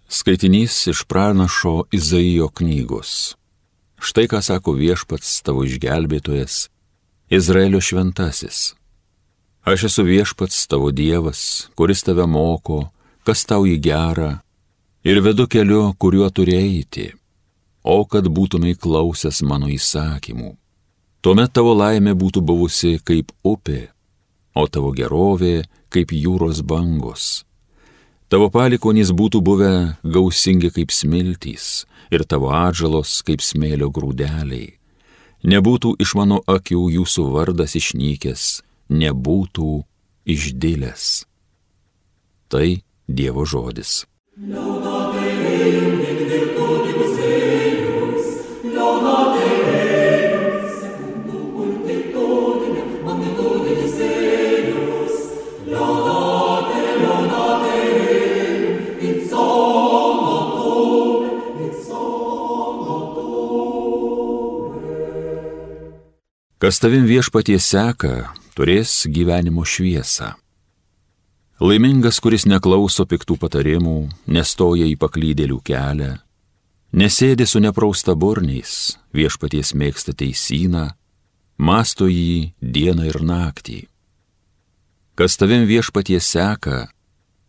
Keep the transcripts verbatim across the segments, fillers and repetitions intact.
Skaitinys iš pranašo Izaijo knygos. Štai ką sako Viešpats tavo išgelbėtojas, Izraelio šventasis. Aš esu Viešpats tavo Dievas, kuris tave moko, kas tau į gerą, ir vedu keliu, kuriuo turi eiti, o kad būtumei klausęs mano įsakymų. Tuomet tavo laimė būtų buvusi kaip upė, o tavo gerovė kaip jūros bangos. Tavo palikonys būtų buvę gausingi kaip smiltys ir tavo atžalos kaip smėlio grūdeliai. Nebūtų iš mano akių jūsų vardas išnykęs, nebūtų išdilęs. Tai Dievo žodis. Kas tavim Viešpatie seka, turės gyvenimo šviesą. Laimingas, kuris neklauso piktų patarimų, nestoja į paklydėlių kelią, nesėdi su nepraustaburniais, Viešpaties mėgsta teisyną, mąsto jį dieną ir naktį. Kas tavim Viešpatie seka,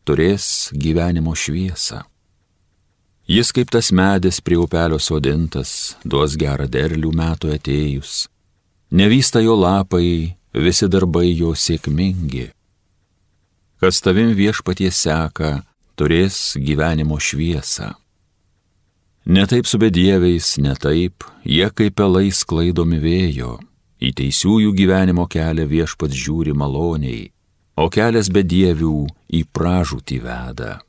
turės gyvenimo šviesą. Jis kaip tas medis prie upelio sodintas, duos gerą derlių metų atėjus. Nevysta jo lapai, visi darbai jo sėkmingi. Kas tavim Viešpatie seka, turės gyvenimo šviesą. Ne taip su bedieviais, ne taip, jie kaip pelai sklaidomi vėjo. Į teisiųjų gyvenimo kelią Viešpats žiūri maloniai, o kelias bedievių į pražūtį veda.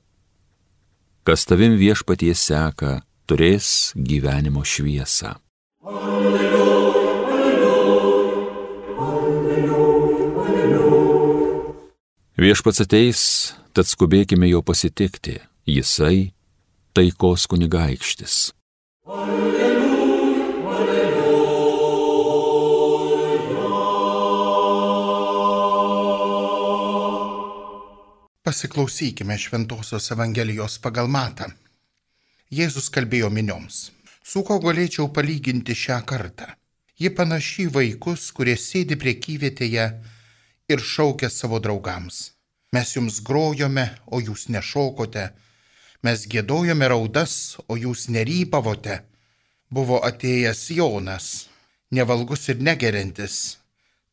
Kas tavim Viešpatie seka, turės gyvenimo šviesą. Alleluja. Viešpats ateis, tad skubėkime jo pasitikti, jisai taikos kunigaikštis. Alleluja, alleluja. Pasiklausykime Šventosios Evangelijos pagal Matą. Jėzus kalbėjo minioms. Su ko galėčiau palyginti šią kartą? Ji panaši į vaikus, kurie sėdi prekyvietėje ir šaukia savo draugams. Mes jums grojome, o jūs nešokote. Mes giedojome raudas, o jūs nerypavote. Buvo atėjęs Jonas, nevalgus ir negeriantis.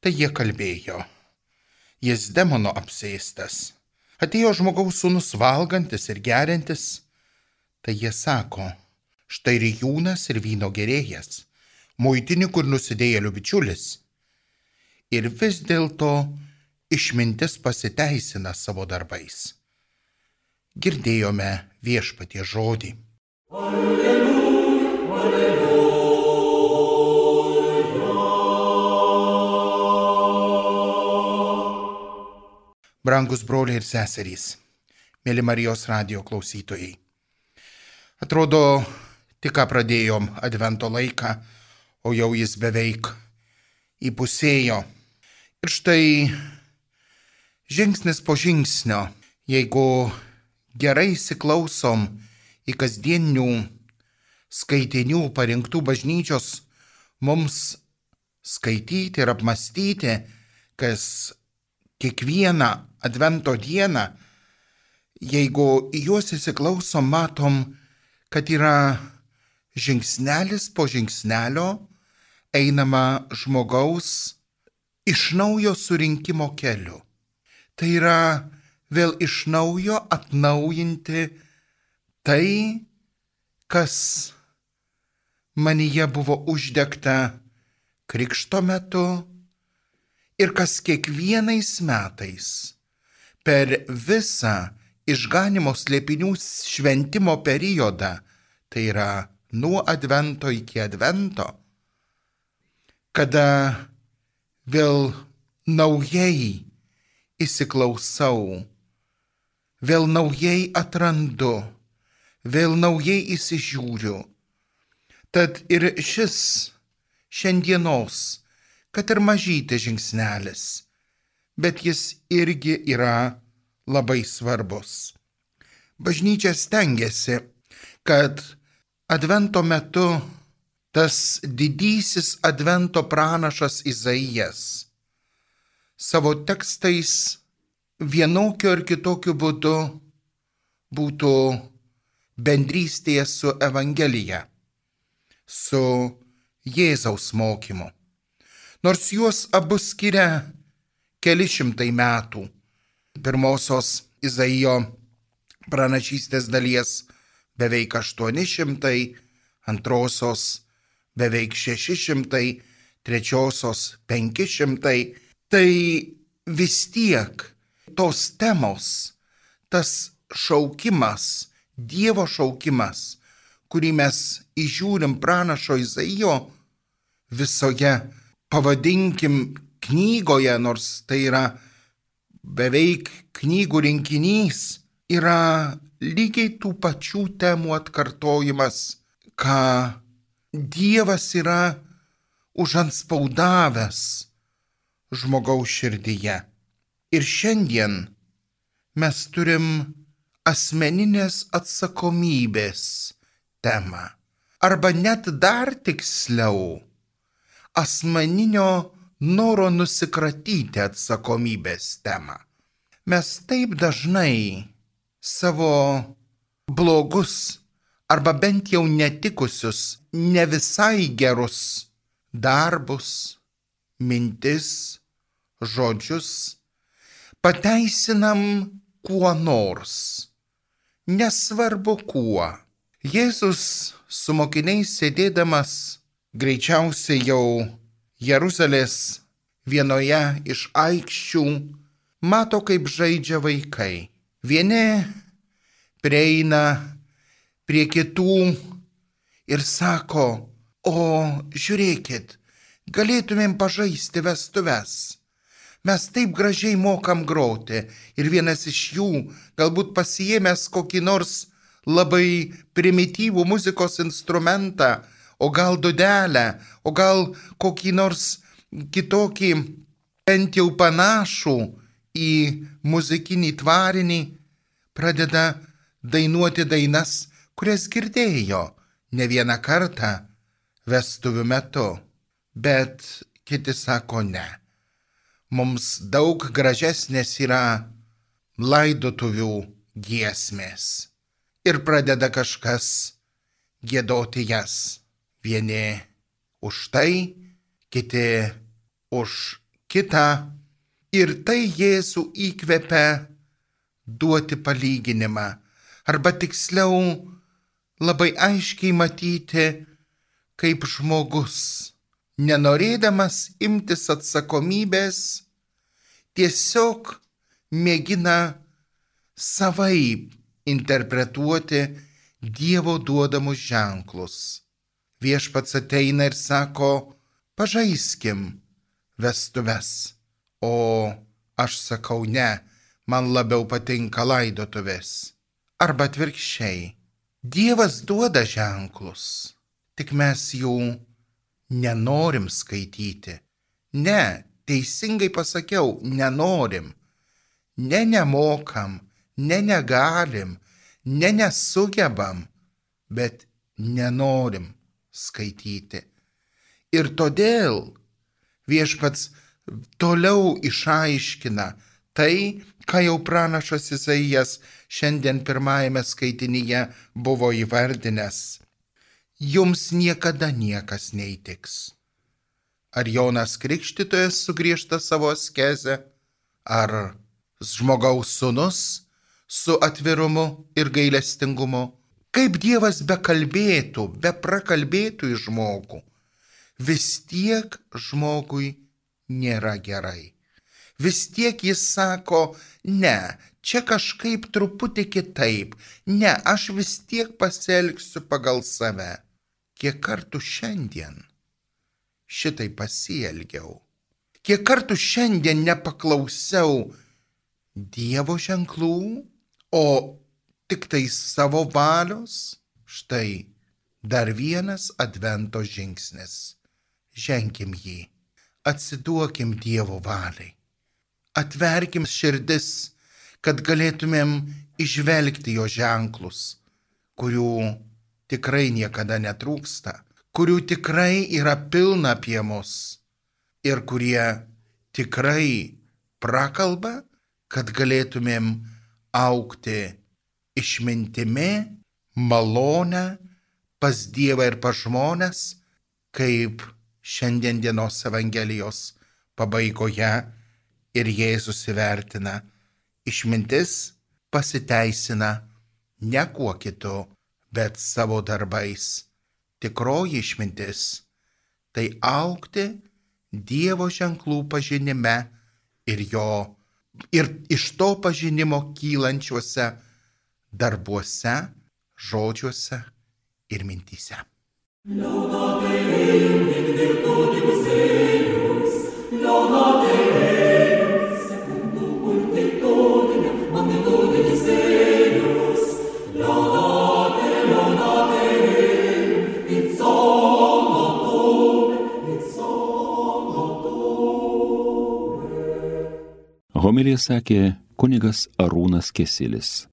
Tai jie kalbėjo. Jis demono apsėstas. Atėjo žmogaus sūnus valgantis ir geriantis. Tai jie sako, štai rijūnas ir vyno gerėjas, muitininkų ir nusidėjėlių bičiulis. Ir vis dėlto išmintis pasiteisina savo darbais. Girdėjome Viešpatie žodį. Alleluja, alleluja. Brangus broliai ir seserys, mėly Marijos radijo klausytojai. Atrodo, tik ką pradėjom advento laiką, o jau jis beveik įpusėjo. Ir štai žingsnis po žingsnio, jeigu gerai įsiklausom į kasdienių skaitinių parinktų bažnyčios mums skaityti ir apmastyti, kas kiekvieną advento dieną, jeigu į juos įsiklausom, matom, kad yra žingsnelis po žingsnelio einama žmogaus iš naujo surinkimo keliu. Tai yra vėl iš naujo atnaujinti tai, kas manyje buvo uždegta krikšto metu ir kas kiekvienais metais per visą išganymo slėpinių šventimo periodą, tai yra nuo advento iki advento, kada vėl naujai įsiklausau, vėl naujai atrandu, vėl naujai įsižiūriu. Tad ir šis šiandienos, kad ir mažytis žingsnelis, bet jis irgi yra labai svarbus. Bažnyčia stengiasi, kad advento metu tas didysis advento pranašas Izaijas savo tekstais vienokiu ar kitokiu būdu būtų bendrystėje su Evangelija, su Jėzaus mokymu. Nors juos abu skiria keli šimtai metų. Pirmosios Izaijo pranašystės dalies beveik aštuoni šimtai, antrosios beveik šeši šimtai, trečiosios penki šimtai. Tai vis tiek tos temos, tas šaukimas, Dievo šaukimas, kurį mes įžiūrim pranašo Izaijo visoje, pavadinkim, knygoje, nors tai yra beveik knygų rinkinys, yra lygiai tų pačių temų atkartojimas, ką Dievas yra užanspaudavęs žmogaus širdyje. Ir šiandien mes turim asmeninės atsakomybės temą, arba net dar tiksliau, asmeninio noro nusikratyti atsakomybės temą. Mes taip dažnai savo blogus arba bent jau netikusius, ne visai gerus darbus, mintis, žodžius pateisinam kuo nors, nesvarbu kuo. Jėzus su mokiniais sėdėdamas greičiausiai jau Jeruzalės vienoje iš aikščių mato, kaip žaidžia vaikai. Vieni prieina prie kitų ir sako: o žiūrėkit, galėtumėm pažaisti vestuves. Mes taip gražiai mokam groti. Ir vienas iš jų, galbūt pasiėmęs kokį nors labai primityvų muzikos instrumentą, o gal dudelę, o gal kokį nors kitokį, bent jau panašų į muzikinį tvarinį, pradeda dainuoti dainas, kurias girdėjo ne vieną kartą vestuvių metu. Bet kiti sako ne. Mums daug gražesnės yra laidotuvių giesmės. Ir pradeda kažkas giedoti jas. Vieni už tai, kiti už kitą. Ir tai Jėzų įkvepia duoti palyginimą. Arba tiksliau labai aiškiai matyti, kaip žmogus, nenorėdamas imtis atsakomybės, tiesiog mėgina savaip interpretuoti Dievo duodamus ženklus. Viešpats ateina ir sako: pažaiskim vestuves. O aš sakau: ne, man labiau patinka laidotuvės. Arba atvirkščiai. Dievas duoda ženklus, tik mes jų nenorim skaityti. Ne, teisingai pasakiau, nenorim. Ne nemokam, ne negalim, ne nesugebam, bet nenorim skaityti. Ir todėl Viešpats toliau išaiškina tai, ką jau pranašas Izaijas šiandien pirmajame skaitinyje buvo įvardinęs. Jums niekada niekas neįtiks. Ar Jonas Krikštytojas sugriežta savo askezę, ar žmogaus sūnus su atvirumu ir gailestingumu. Kaip Dievas bekalbėtų, beprakalbėtų į žmogų, vis tiek žmogui nėra gerai. Vis tiek jis sako: ne, čia kažkaip truputį kitaip, ne, aš vis tiek pasielgsiu pagal save. Kiek kartų šiandien šitai pasielgiau? Kiek kartų šiandien nepaklausiau Dievo ženklų, o tik tai savo valios? Štai dar vienas advento žingsnis. Ženkim jį, atsiduokim Dievo valiai. Atverkim širdis, kad galėtumėm išvelgti jo ženklus, kurių tikrai niekada netrūksta, kurių tikrai yra pilna apie mus ir kurie tikrai prakalba, kad galėtumėm augti išmintimi, malonę pas Dievą ir pas žmones, kaip šiandien dienos Evangelijos pabaigoje ir Jėzus įvertina. Išmintis pasiteisina ne kuo kitu, bet savo darbais. Tikroji išmintis – tai augti Dievo ženklų pažinime ir jo, ir iš to pažinimo kylančiuose darbuose, žodžiuose ir mintyse. Laudate Deum in virtutibus eius, laudate Deum secundum multitudinem, magnitudinis eius, laudate, laudate Deum in somnotum, in somnotum. Homiliją sakė kunigas Arūnas Kesilis.